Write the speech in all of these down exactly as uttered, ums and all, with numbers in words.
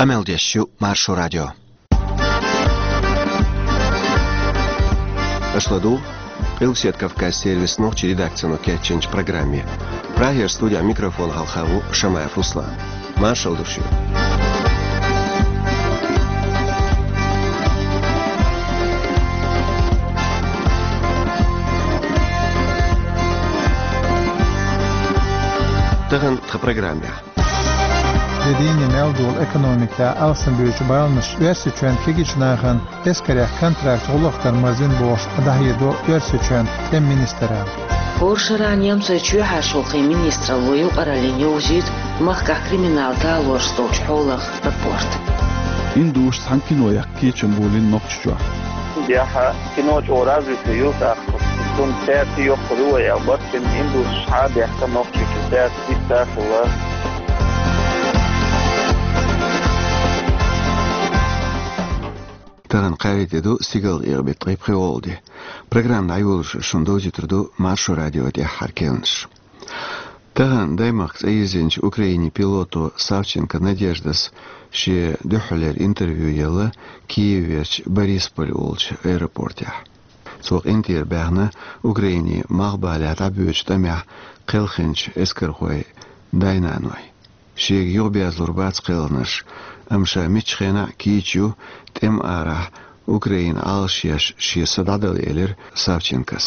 Къамел деш ю Маршо радио. Аша ладугӀу Къилбаседа Кавказан сервисан нохчийн редакцино кечйинчу программе. Прагера студехь микрофон хьалха ву Шамаев Руслан. Маршалла ду шуьга. Тахана тхан программехь. Де дийне мел долу экономикехь алсамбуьйчу баланаш Оьрсийчоьнан кегийчу нахана эскарех контракт гӀуллакх дар марзина бохуш дӀахьедо Оьрсийчоьнан тӀеман министралла. ХӀора шарахь немцойн чоьхьарчу гӀуллакхийн министралло юкъараллина йовзуьйту махкахь криминал талорш долчу хьолах рапорт. Индусаша цхьана кино яккха кечам болийна Нохчийчохь. Яха кино чӀогӀа развитый ю тӀаккха. Цунна цаьрца йоккхур ю вай аьлла, барт бина индусаша схьа а баьхкина Нохчийчу цаьрца иштта а хилла. Тахана кхаарин тӀе ду, стигалкъекъа беттан ткъе пхи гӀолла де. Программа дӀайолош шуна довзуьйтур ду Маршо радион тӀаьххьара керланаш. Тахана даймахка цӀа йирзинчу Украинин пилото Савченко Надеждас шен дуьххьарлера интервью елла Киев верчу Борисполь олучу аэропортехь. Цо къинтӀера баьхна Украинин малхбалехь дӀабоьдучу тӀамехь кхелхинчу эскархойн дай-наной. Шега юхаберзалур бац кхелхинарш, амма ша муьлххачу хенахь кийча ю тӀеман арахь Украинан Ӏалашъеш шен са дӀадала, элира Савченкос.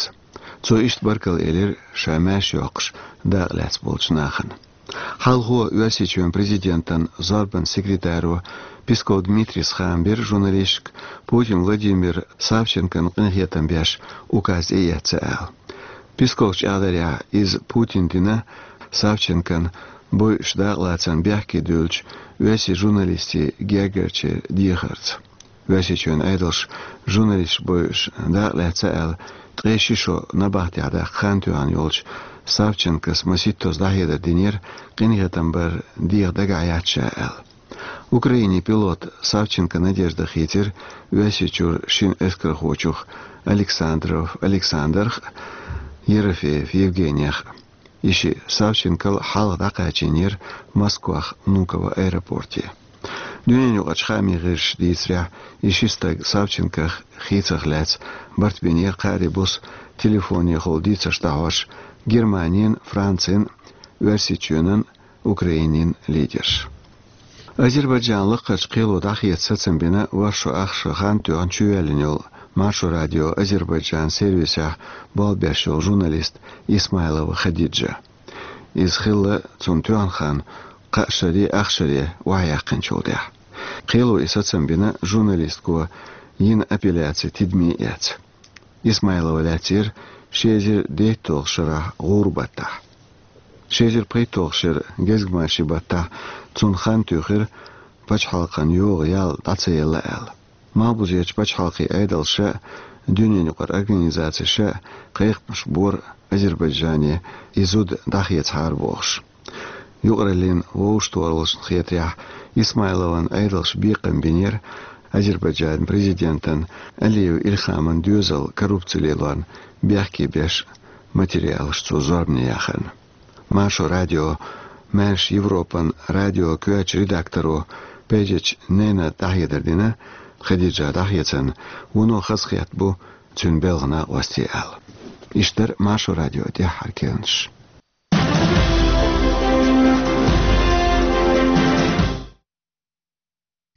Цо иштта баркалла элира ша маьрша йоккхуш дакъа лаьцна болчу нахана. Хьалхо Оьрсийчоьнан президентан зорбанан секретаро Песков Дмитрийс хаам бира журналисташка, Путин Владимира Савченкона къинхетам беш указ тӀеэцна аьлла. Песковс чӀагӀдарехь, иза Путина дина Савченкон бойуш дакъалацарна бехке дуьллучу оьрсийн журналистийн гергарчеран дехарца. Оьрсийчоьнан Ӏедалша журналисташ бойуш дакъа лаьцна аьлла, ткъе ши шо набахтехь даккха хан тоьхна йолчу Савченкос масийттаза дӀахьедар динера, къинхетам бар деха дагахь яц ша аьлла. Украинин пилот Савченко Надежда хийцира Оьрсийчуьра шина эскархочух Александров Александрах а, Ерофеев Евгенийх а. И шиъ Савченкол хьалха дӀакхачийнера Москвахь Внуково аэропорте. Дуьненаюкъарчу хаамийн гӀирсаша дийцарехь, и ши стаг Савченкох хийцарх лаьцна барт бинера кхаарин буса телефонехула дийцарш дӀахьош Германин, Францин, Оьрсийчоьнан, Украинин лидерш. Азербайджанан лакхарчу кхело дӀахеца сацам бина ворхӀ шо ах шо хан тоьхна чувоьллина йолу Маршо радион Азербайджанан сервисехь болх беш йолу журналист Исмайлова Хадиджа. Иза хилла цунна тоьхна хан кхаа шаре, ах шаре охьаяккхинчул тӀаьхьа. Кхело и сацам бина журналистко йина апелляци тидаме эцна. Исмайлова лаьцнера ши эзар дейтталгӀачу шарахь гӀуран баттахь. Ши эзар пхийтталгӀачу шеран гезгмашин баттахь цунна хан туьйхира пачхьалкхан йогӀу ял дӀа ца елла аьлла. Малхбузерчу пачхьалкхийн Ӏедалша а, дуьненаюкъара организациша а кхайкхамаш бора Азербайджане и зуда дӀахецахьара бохуш. Юкъараллин вовшахтохараллашна хетарехь, Исмайловн Ӏедалша бекхам бинера Азербайджанан президентан Алиев Илхаман доьзал коррупци лелорна бехке беш материалаш цо зорбане яхарна. Маршо радион, Маьрша Европан радион коьртачу редакторо Пейджич Нейна дӀахьедар дина, Хадиджа дӀахецарна вуно хазахетта бу цуьнан белхан накъостий аьлла. Иштта дара Маршо радион тӀаьххьара керланаш.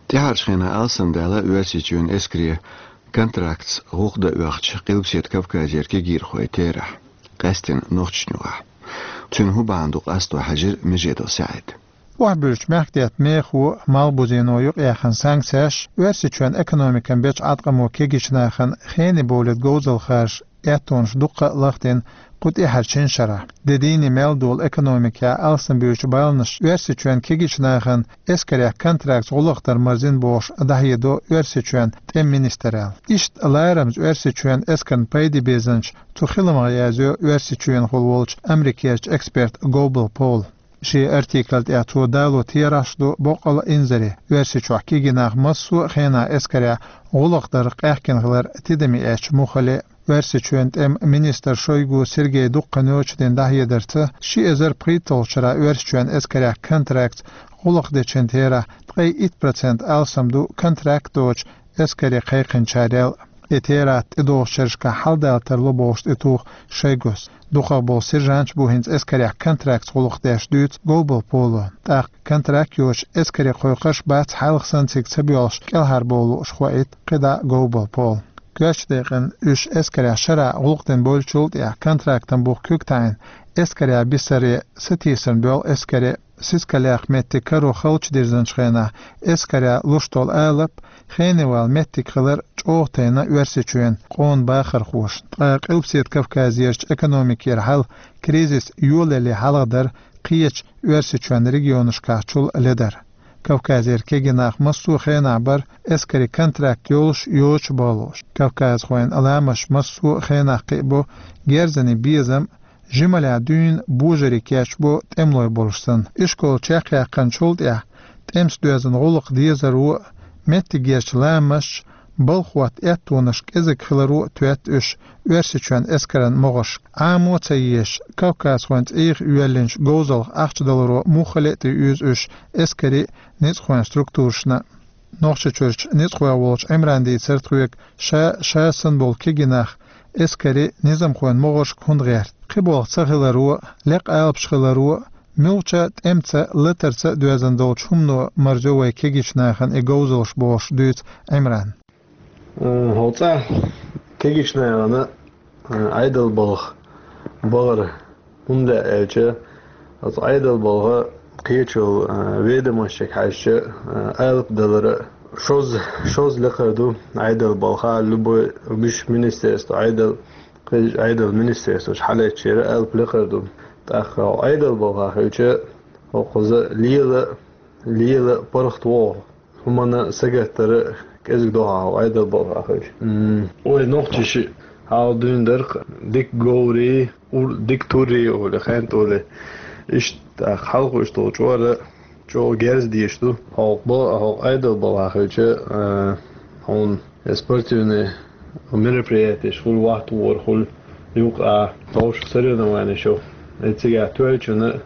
ТӀаьххьарчу хенахь алсамдаьлла Оьрсийчоьнан эскаре контрактца гӀуллакх дан оьхучу Къилбаседа Кавказера кегийрхойн терахь, къаьсттина Нохчийчохь. Цуьнан хӀун бахьана ду къасто хьаьжира Межедов СаӀида. Охьабуьллучу мехкдаьтта мехо, малхбузено юкъаяьхна санкцеш Оьрсийчоьнан экономикан бечу Ӏаткъамо кегийчу нахана хене бовлийта говзалхаш, аьттонаш дуккха а лахдина кху тӀаьххьарчу шина шарахь. Де дийне мел долу экономикехь алсамбуьйчу баланаш Оьрсийчоьнан кегийчу нахана эскарех контрактца гӀуллакх дар марзина бохуш дӀахьедо Оьрсийчоьнан тӀеман министралла. Иштта ларамаза Оьрсийчоьнан эскарна пайде безанчу цу хиламах язйо Оьрсийчоьнахула волчу Америкерчу эксперта Гобл Пола. Шен артикль тӀехь цо дало терахьаш ду боккъал а инзаре Оьрсийчохь кегий нах массо а хенахь эскарехь гӀуллакх дарх къаьхкина хилар тидаме эцча муххале а. Оьрсийчоьнан тӀеман министр Шойгу Сергей дуккха ночдина дӀахьедарца, ши эзар пхийтталгӀачу шарахь Оьрсийчоьнан эскарех контрактца гӀуллакх дечун терахь ткъе итт процент алсам ду контракт доцучу эскаре кхайкхинчарел. И терахь тӀедогӀучу шерашкахь хьаладалар тарло бохуш тӀетуху Шойгус. Дукхах болу сержанташ бу хӀинца эскарехь контрактца гӀуллакх деш, дуьйцу Говбал Поло. ТӀаккха контракт йоцуш эскаре кхойкхуш бац, хьалха санна цига ца боьлхуш кӀелхьарбовла лууш, хоуьйту кхидӀа Говбал Пола. Коьртачу декъана уьш эскарехь шарахь гӀуллакх дина бевллачул тӀаьхьа контрактан бух куьг таӀийна, эскарехь бисаре сатийсарна боьлху эскаре. Сискалех меттиг каро халчу дирзинчу хенахь эскарехь луш долу алап хенавала меттиг хилар чӀогӀа тайна Оьрсийчоьнан къона бахархошна. Ткъа Къилбаседа Кавказерчу экономикера хьал кризис йолале хьалха дара кхечу Оьрсийчоьнан регионашкахь чул ледара. Кавказера кегий нах массо а хенахь бара эскаре контракт йолуш, йоцуш а, бахалуш. Кавказхойн ламасташ массо а хенахь кхиабо герзане безам, жималехь дуьйна божарий кечбо тӀемалой болуш санна. Ишкол чекхъяьккхинчул тӀаьхьа тӀемаца доьзна гӀуллакх дезаро а, меттигерчу ламасташа балха хӀотта аьттонаш кӀезиг хиларо а тоьтту уьш Оьрсийчоьнан эскаран могӀаршка. Ӏамо а ца езаш, кавказхойн цӀийх йоьллинчу говзалх ахча даларо муххале а тӀеуьйзу уьш эскарийн а, ницкъахойн структурашна а. Нохчийчуьрчу ницкъахой волчу Ӏимрана дийцира тхоьга, ша, ша санна болу кегий нах эскарийн, низамхойн могӀаршка хӀунда гӀерта. Кхин болх ца хиларо а, лекха алапаш хиларо а, муьлххачу тӀемаца, латарца а доьзна долчу хӀумано марзо вай кегийчу нахана и говзалш, бохуш дуьйцу Ӏимрана. Э, хьо цӀа кегийчу нахана, э, Ӏедал балха бахара. ХӀунда аьлча, оцу Ӏедал балха кхечул, а, ведомостех хьаьжча, а, алапа далара шозза, шозза лекхар ду Ӏедал балха, любой, уьш министерство, Ӏедал, кхечу Ӏедал министерствош хьалаьцчера алапа лекхар ду. ТӀаккха Ӏедал балха хилча, хӀокхуза лела, лела паргӀат вогӀу. ХӀуманна сагатдара кӀезиг дохьа Ӏедал балха хилча. М, вай нохчаша хьал дуьйна дара-кх дика говрий, ур-, дика туррий олий, хенталий. Иштта хьалха уьш долу чкъора чӀогӀа герз дезаш ду. ХӀокху бо-, хӀокху Ӏедал балха хилча, а, хьуна я спортивный мероприятиеш хуьлу, вахтавор хуьлу, юкъа а товш соревнованиеш ю. И цигахь тоьллачунна,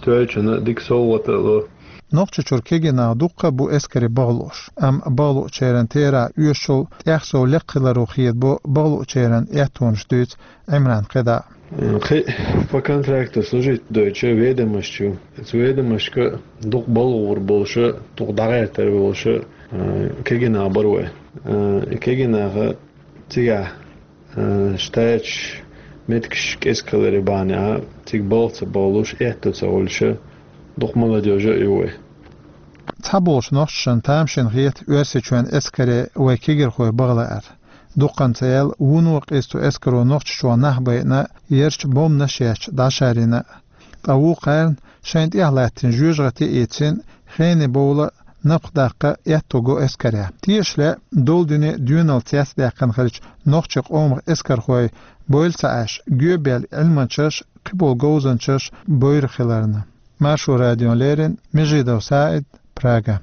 тоьллачунна дика совгӀат а ло. Нохчийчуьра кегий нах дуккха а бу эскаре бахалуш, амма бахалучеран терахь оьшучул тӀех сов лекха хиларо хедабо бахалучеран аьттонаш, дуьйцу Ӏимрана кхидӀа. Кхин по контракту служить дойтуш ведомость ю. Оцу ведомостка дукха балхахь болуш а, дукха дӀагӀертар болуш а, э, кегий нах бара вай. Э, и кегий наха цигахь, э, штаташ, меттигаш кӀезиг хиларе бахьанехь, цига балха ца бахалуш, аьтто ца хуьлуш а, дукха молодёжь а ю вай. Цхьаболчу нохчашна тамашийна хета Оьрсийчоьнан эскаре вай кегийрхой баха лаар. Дуккханца аьлла, вуно къиза цу эскаро Нохчийчохь нах байина, ярчу бомбанаш ечча дӀашарйина. Ткъа вукхарна шайна тӀехь латтийна жоьжахати а ийцина, хене бовла, напха даккха аьтто го эскарехь. Тешале, долу дуьне доьналла цецдаьккхина хилча, нохчийн къомах эскархой бовла ца Ӏаш, гоьбаьлла Ӏилманчаш, кхиболу говзанчаш бовр хиларна. Маршо радиона леррина Межидов СаӀид, Прага.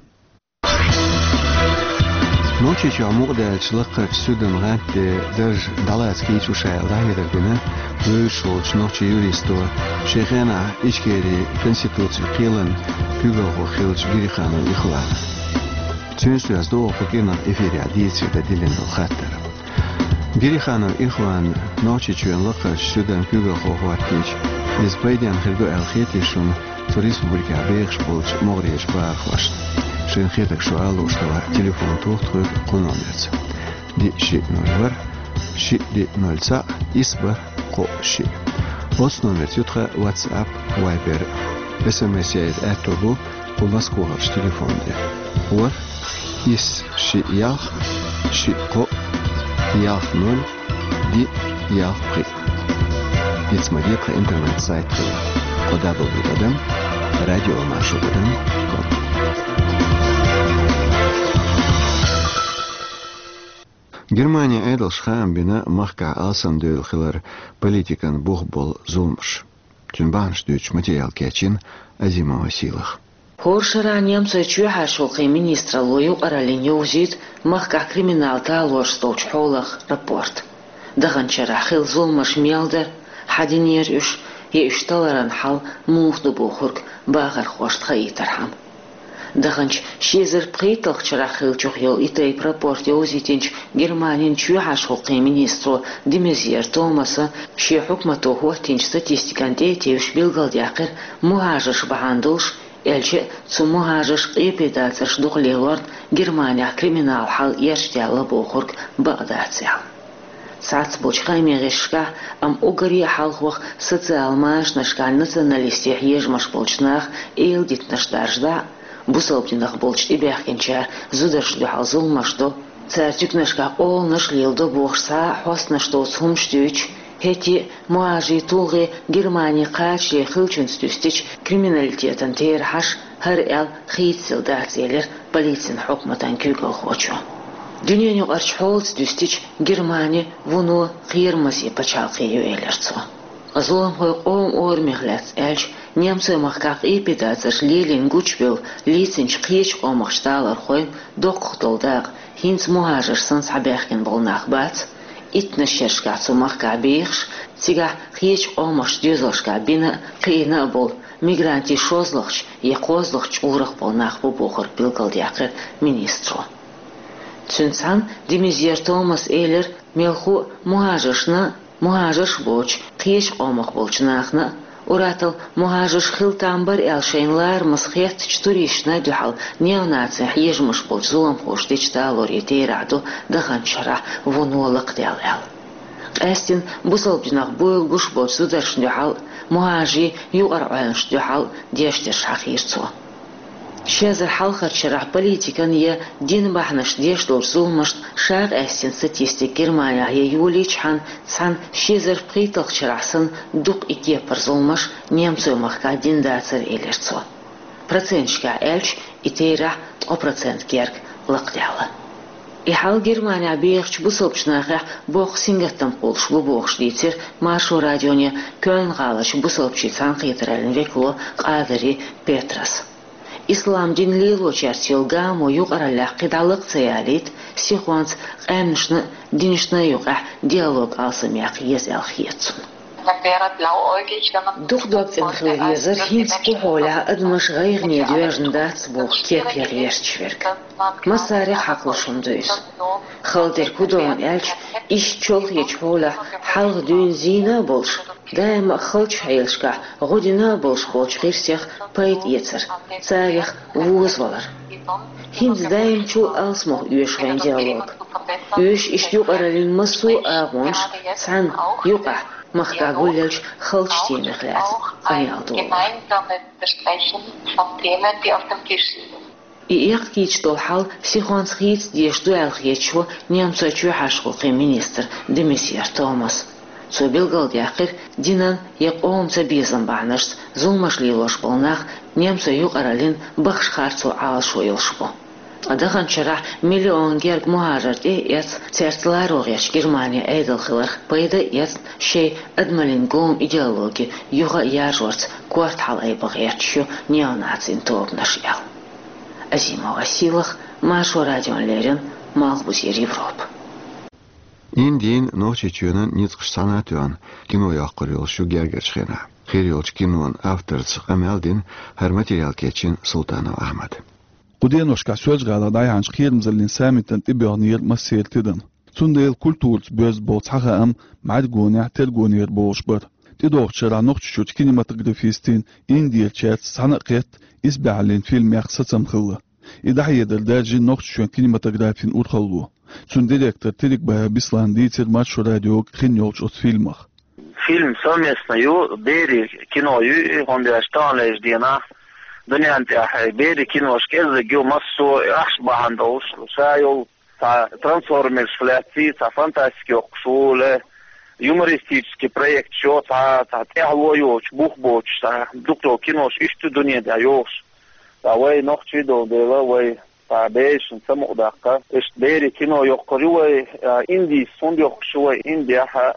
Нохчийчохь мукъадаьллачу лакхарчу суьдан гӀант тӀе дарж дӀалаца кийча шу аьлла дӀахьедар дина вевзаш волчу нохчийн юристо, шен хенахь Ичкерин конституцин кхелан куьйгалхо хиллачу Гириханов Ихвана. Цуьнца доьзна ду оха кху кӀирнах эфирехь дийцаре дан диллина долу хаттар. Гириханов Ихван Нохчийчоьнан лакхарчу суьдан куьйгалхо хӀоттийча, иза пайденна хир ду аьлла хетий шуна цу республикехь бехаш болчу могӀарерчу бахархошна? Шайна хетарг шу ала лууш хилахь, телефон тоха тхоьга кху номерца: диъ шиъ ноль ворхӀ, шиъ диъ ноль цхьаъ, исс бархӀ, кхоъ шиъ. Оцу номерца ю тхан WhatsApp, Viber. СМС яийта аьтто бу кху Москвахарчу телефон тӀе: ворхӀ, исс шиъ ялх, шиъ кхоъ, ялх ноль, диъ, ялх пхиъ. Ица ма де, тхан интернет-сайт хилла: кхо дабл ю тӀадам радиомаршо тӀадам ком. Германин Ӏедалша хаам бина махкахь алсамдевлла хилар политикан бух болу зуламаш. Цуьнан бахьанаш дуьйцуш материал кечйина Азимова Сийлаха. ХӀора шарахь немцойн чоьхьарчу гӀуллакхийн министралло юкъараллина йовзуьйту махкахь криминал талорашца долчу хьолах рапорт. Даханчу шарахь хилла зуламаш мел дара, хьан динера уьш, я уьш таларан хьал муха ду бохург бахархошна хаийтархьама. Даханчу ши эзар пхийтталгӀачу шарахь хиллачух йолу и тайпа рапорт йовзийтинчу Германин чоьхьарчу гӀуллакхийн министро де Мезьер Томаса шен хьукмато хӀоттийначу статистикана тӀе а тевжаш билгалдаьккхира, мухӀажарш бахьана долуш, аьлча а цу мухӀажарш къепедацарш дукха лелорна Германехь криминал хьал эрчадаьлла бохург бакъ дац аьлла. Цхьацца болчу хаамийн гӀирсашкахь, амма уггаре а хьалхох социал-машанашкахь националистийн хьежамаш болчу наха эладитанаш даржадахь а, бусалба динах болчу тӀебаьхкинчара зударшна дуьхьал зуламаш до, цара туьканашкахь къоланаш а леладо бохуш цхьа а хьостанаш доцу хӀуманаш дуьйцуш, хӀетте а мухӀажарийн тулгӀе Германи кхачале хиллачуьнца дуьстича криминалитетан терахьаш хӀара аьлла хийцаделла дац, элира полицин хьукматан куьйгалхочо. Дуьненаюкъарчу хьолаца дуьстича, Германи вуно кхерамазийн пачхьалкхе ю, элира цо. Ткъа зуламхой къоман орамех лаьцна аьлча, немцойн махкахь къепедацарш лелийна гучубевлла лецначу кхечу къомах талорхойн доккхах долу дакъа хӀинца мухӀажарш санна схьабаьхкина болу нах бац, иттаннаш шерашкахь цу махкахь бехаш, цигахь кхечу къомах доьзалшкахь бина а, кхиъна а болу мигрантийн шозлагӀчу я кхозлагӀчу чкъурах болу нах бу бохург билгалдаьккхира министро. Цуьнца цхьаьна де Мезьер Томаса элира, мелхо а мухӀажаршна а, мухӀажарш боцуш кхечу къомах болчу нахана а, уьттазза мухӀажарш хила там бара аьлла шайна ларамаза хеттачу туристашна а дуьхьал неонацийн хьежамаш болчу зуламхоша дечу талорийн терахь ду даханчу шарахь вуно лакхадаьлла аьлла. Къаьсттина бусалба динах буйла гуш болчу зударшна дуьхьал а, мухӀажарийн юкъара Ӏуьллушна дуьхьал а деш дерш хьахийра цо. Ши эзар хьалхарчу шарахь политикан я динан бахьанашца деш долчу зуламашна ша къаьстина статистика Германехь я йолийчхьана, цхьана ши эзар пхийтталгӀачу шарахь санна дукха и кепара зуламаш немцойн махкахь дина дацара, элира цо. Проценташкахь аьлча, и терахь ткъа процент герга лакхадаьлла. И хьал Германехь бехачу бусалбачу нахехь боккха сингаттам кхуллуш бу бохуш дийцира Маршо радионе Кёльн-гӀаларчу бусалбачийн цхьаьнакхетараллин векало Къадари Петрас. Ислам дин лелочаьрца йолу гамо юкъараллех кхидӀа лакха ца ялийта, сихонца къаьмнашна а, динашна а юкъахь диалог алсамъяккха еза аьлла хета цунна. Дукха дог цӀена хила везара, хӀинца кху хьолехь адамаш гӀайгӀане доьжна дац боху кеп ян гӀерташ верг. Массарех хьакхалуш хӀума ду иза. Хала дерг хӀун ду аьлча, иштта чолхечу хьолехь хьалха дуьйна зийна а болуш, даима а халчу хьелашкахь гӀо дина а болуш болчу гӀирсех пайда эцар, царех возавалар. ХӀинца даимчул а алсамох оьшу вайн диалог. Оьшу иштта юкъараллин массо а агӀонаш цхьаьна, юкъахь, махкахь гулъеллачу халчу темех лаьцна къамел долу. И эккхийча долу хьал сихонца хийца дезаш ду аьлла хеташ ву немцойн чоьхьарчу гӀуллакхийн министр де Мезьер Томас. Цо билгалдаьккхира, динан я къоман цабезам бахьанашца зуламаш лелош болу нах немцойн юкъараллин бахаш харцо Ӏалашо йолуш бу. Ткъа даханчу шарахь миллион герга мухӀажар тӀе а эцна, цаьрца ларо гӀерташ Германи Ӏедал хиларх пайда а эцна, шайн адамаллин гома идеологи юха а яржорца корта хьалаайба гӀерташ ю неонацийн тобанаш аьлла. Азимова Сийлаха, Маршо радиона леррина, Малхбузера Европа. Индин, Нохчийчоьнан ницкъаш цхьаьна а тоьхна, кино йоккхур йолуш ю гергарчу хенахь. Хир йолчу кинон авторца къамел дина хӀара материал кечйина Султанов Ахьмада. Кху деношкахь Соьлжа-ГӀалахь дӀаяьхьначу кхерамзаллин саммитана тӀебоьхнера массеран тидам. Цундела культураца боьзна болу цхьа хаам бӀаьргонехь тергонера бохуш бара. ТӀедогӀучу шарахь Нохчийчуьрчу кинематографистийн Индерчаьрца цхьаьна а кхетта исбаьхьаллин фильмех сацам хилла. И дӀахьедар даьржина Нохчийчоьнан кинематографин урхалло. Цуьнан директор Терекбаев Беслана дийцира Маршо радиога хин йолчу оцу фильмах. Фильм совместно ю, берийн кино ю и, хӀунда аьлча таханлерчу дийнахь дуьнен тӀехь берийн кинош кӀеззиг ю, массо а ахча бахьана долуш, ша йолу цхьа трансформерш лаьцна, цхьа фантастика йоккхуш ву, ле юмористический проект йо, цхьа, цхьа тӀаьхьало йоцуш, бух боцуш, цхьа дукха йолу кинош иштта ю дуьнен тӀехь йохуш. Ткъа вай нохчий долу дела, вай цхьа берашна ца мукъадаккха. Иштта берийн кино йоккхур ю вай, а, Индис хӀунда йоккхуш ю вай, Индехь а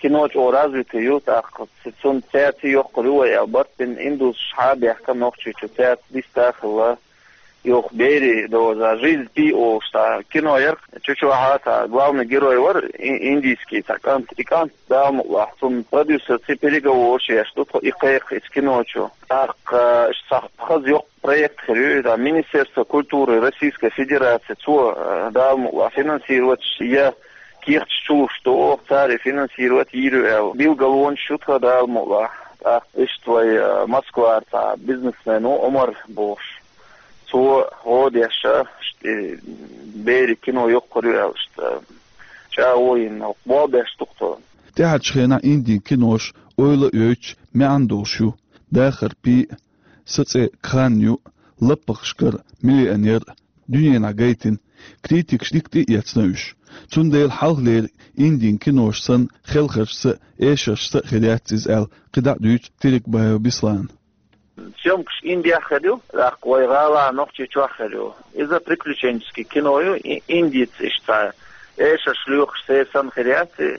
кино чӀогӀа развитый ю, тӀаккха ц-, цунна цаьрца йоккхур ю вай аьлла барт бина, индусаш схьа а баьхкина Нохчийчу, цаьрца диста а хилла. Юха «Бери доза жизнь пи» олуш цхьа кино яра. Чу чохь цхьа главный герой вара и-, индийский цхьа кӀант. И кӀант, Дала мукъ лахь, цунна продюсерца переговораш еш ду тхо и кхайкха иза кино чу. ТӀаккха, э, иштта цхьа хаза йоккха проект хир ю, иза Министерство культуры Российской Федерации, цо, э, Дала мукъ лахь, финансировать я кехаташ чулуш ду, цара финансировать йийр ю аьлла. Билгалонаш ю тхан, Дала мукъ лахь. ТӀаккха иштта вай, э, Москвара цхьа бизнесмен ву, Омар бохуш. Цо гӀо деш, иштта, э, «Бери» кино йоккхур ю аьлла, иштта, э, чӀагӀо йина, болх беш ду тхо. ТӀаьхьарчу хенахь Индин кинош ойла а йойтуш, маьӀна долуш ю. «Дахар пи», «Сан цӀе Кхан ю», «Лаппахашкара миллионер», дуьненахь гайтина, критикаша дика тӀе а эцна уьш. Цундела хьалхалера Индин кинош санна, хелхаршца а, эшаршца а хир яц иза аьлла, кхидӀа а дуьйцу Терекбаев Беслана. Съёмкаш Индехь хир ю, тӀаккха вай гӀалахь, Нохчийчохь хир ю. Иза приключенческий кино ю, и-, индиец иштта эшарш лоьхуш, церан санна хир яц и.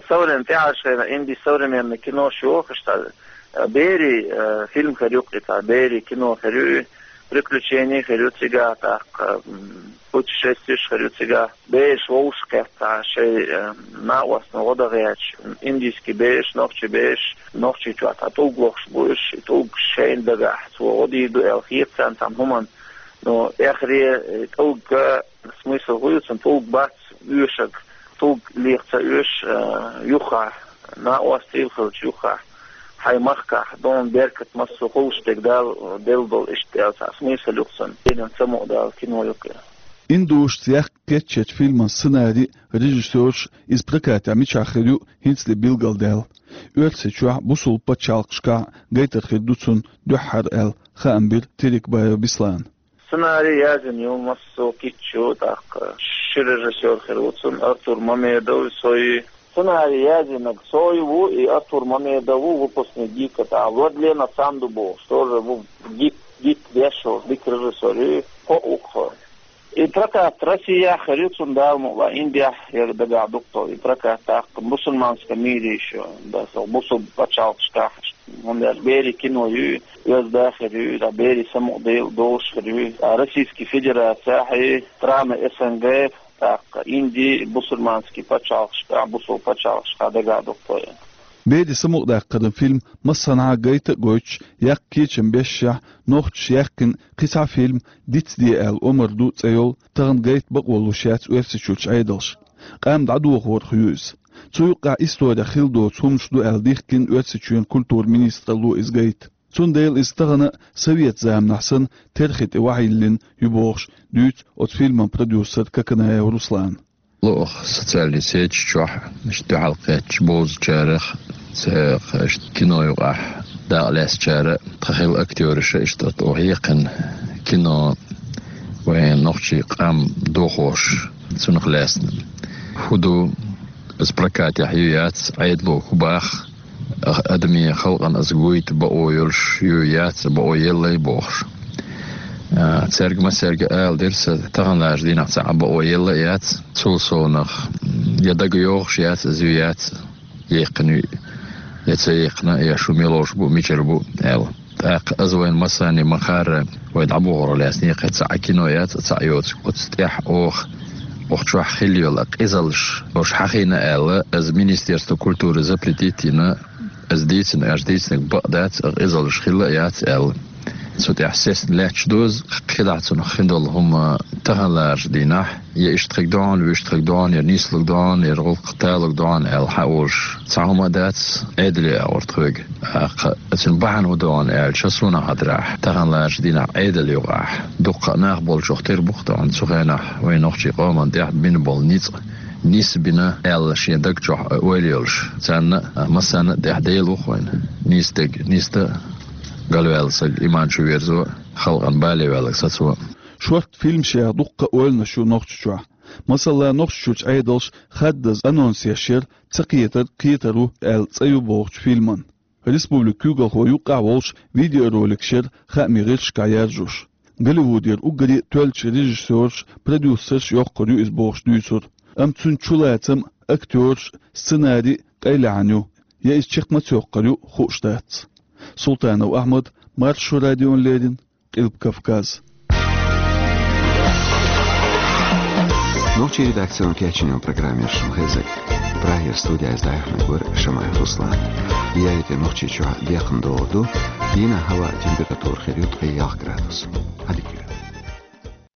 Современ-, тӀаьхьарчу хенахь Индин современный кинош йохуш цхьа, э, «Бери», э, фильм хир ю кхин цхьа, «Бери» кино хир ю, приключени хир ю цигахь, тӀаккха, м, путешествиеш хир ю цигахь. Бераш вовшахкхетта шайн, э, накъостана гӀо дан гӀерташ, индийский бераш, нохчийн бераш, Нохчийчохь цхьа тӀулг лохуш бу уьш, и тӀулг шайна дагахь цо гӀо дийр ду аьлла хета царна цхьана хӀуманна. Но эххар, э, тӀулг, э, смысл хӀун ю цуьнан, тӀулг бац оьшург, тӀулг леха ца оьшу, э, юххехь, накъостий хилча юххехь, хьайн махкахь, дона беркат массо а хуьлуш дерг Дала делла долу иштта аьлла цхьа смысл ю-кх цуьнан. Дийнан ца мукъадала кино ю-кх и. Индошца яккха кечъечу фильман сценарий а, режиссёрш а, иза прокатехь мичахь хир ю хӀинцале билгалдаьлла. Оьрсийчохь а, бусулба пачхьалкхашкахь а гайтар хир ду цунна дуьххьара аьлла, хаам бира Терекбаев Беслана. Сценарий язйина ю массо а кийча, тӀаккха ши режиссёр хир ву цуьнан, Артур Мамедов, со ю. Сценарий язйинарг со ю ву, и Артур Мамедов ву, выпускник ГИКа, тӀаккха Владлена Санду бохуш, тоже ву ГИК, ГИК деш волу дика режиссёр ю, кхоъ ву-кх. И прокат Россехь хир ю цуьнан, Дала мукъ лахь, Индехь яра дагахь ду-кх и прокат, тӀаккха мусульманском мире ещё, да, со бусулба пачхьалкхашкахь. ХӀунда аьлча «Бери» кино ю, оьзда хир ю, да, «Бери» самукъадала долуш хир ю, а Российский Федерацехь и страны СНГ, тӀаккха Инди, бусульманский пачхьалкхашкахь, бусулба пачхьалкхашкахь дагахь ду-кх и. «Бери» самукъадаккхаран фильм массанхьа гайта а гойтуш, яккха кечам бешшехь, нохчаша яьккхина кхин цхьа фильм дицде аьлла омра ду цӀе йолу, тахана гайта бакъо луш яц Оьрсийчуьрчу Ӏедалша. Къам дӀадохорах ю иза. Цу юккъехь исторехь хилла доцу хӀуманаш ду аьлла дихкина Оьрсийчоьнан культуран министралло иза гайта. Цундела иза тахана а, совет заманахь санна, терхи тӀе охьайиллина ю бохуш, дуьйцу оцу фильман продюсера Коканаев Руслана. Лоьху социальный сеташ чохь, иштта дуьхьал кхеттачу бовзачарах, цхьа, иштта кино юкъахь дакъа лаьцначара, тхан хилла актёраша иштта оцу хьекхина кино вайн нохчийн къам дохош, цунах лаьцна. ХӀун ду, иза прокатехь ю яц, Ӏедало хӀун боху, адамийн халкъана иза гойта бакъо йолуш ю яц, бакъо елла бохуш. А, цаьрга массаьрга ала дира сан, таханлерчу дийнахь цхьа а бакъо елла яц, цул совнах, я дага йогӀуш яц, иза ю яц, яьккхина ю, я ца яьккхина, я шу мила ловш бу, мичара бу аьлла. ТӀаккха иза вайн массарна ма-хаъара, вай дӀабохорах лаьцна кхин цхьа а кино яц, цхьа а йоцу. Оцу тӀехь оха, оха чохь хилла йолу къизаллаш, оша хьахийна аьлла, иза Министерство культуры запретить йина, иза дийцина, аша дийцинарг бакъ дац, а къизаллаш хилла а яц аьлла. Цу тӀехь сесна лаьтташ ду иза, кхидӀа цунах хин долу хӀума таханлерчу дийнахь, я иштта хиг догӀу, вуьшта хиг догӀу, я нислаг догӀу, я гӀуллакх талаг догӀу аьлла хьан олуш. Цхьа хӀума а дац, Ӏедале агӀор тхоьга. ТӀаккха цуьнан бахьана хӀун ду аьлча, суна хетарехь, таханлерчу дийнахь Ӏедал юкъахь дуккха а нах болчух тера бу-кх тахана цу хенахь вайн нохчийн къоман тӀехь бина болу ницкъ, нисбина аьлла шен даг чохь ойла йолуш. Царна а, массарна а тӀехь Дела ву-кх вайн. Нийса дерг нийса дан, галваьлла саг иман чу верзо, халкъана бале ваьлларг сацо. Шорта фильмашех дуккха а ойланаш ю Нохчийчохь. Масала, Нохчийчуьрчу Ӏедалша хаддаза анонс еш яра «Ца кхетар кхетар ву» аьлла цӀе ю бохучу фильман. Республикан куьйгалхо юккъехь волуш видеороликаш яра хаамийн гӀирсашкахь яржош. Голливудера уггаре а тоьллачу режиссёраш, продюсераш йоккхур ю иза бохуш дуьйцура. Амма цуьнан чулацам а, актёраш а, сценарий а къайлаьхьна ю. Я иза чекх ма ца йоккхур ю, хууш дац. Султанов Ахьмад, Маршо радиона леррина, Къилба Кавказ. Нохчийн редакцино кечйина программа шуна хезар. Прагера студиз дӀаяханарг вар Шамаев Руслан. Яйта Нохчийчохь бекхам догӀур ду, дийнахь хӀаваан температура хир ю ткъе ялх градус. Ӏадика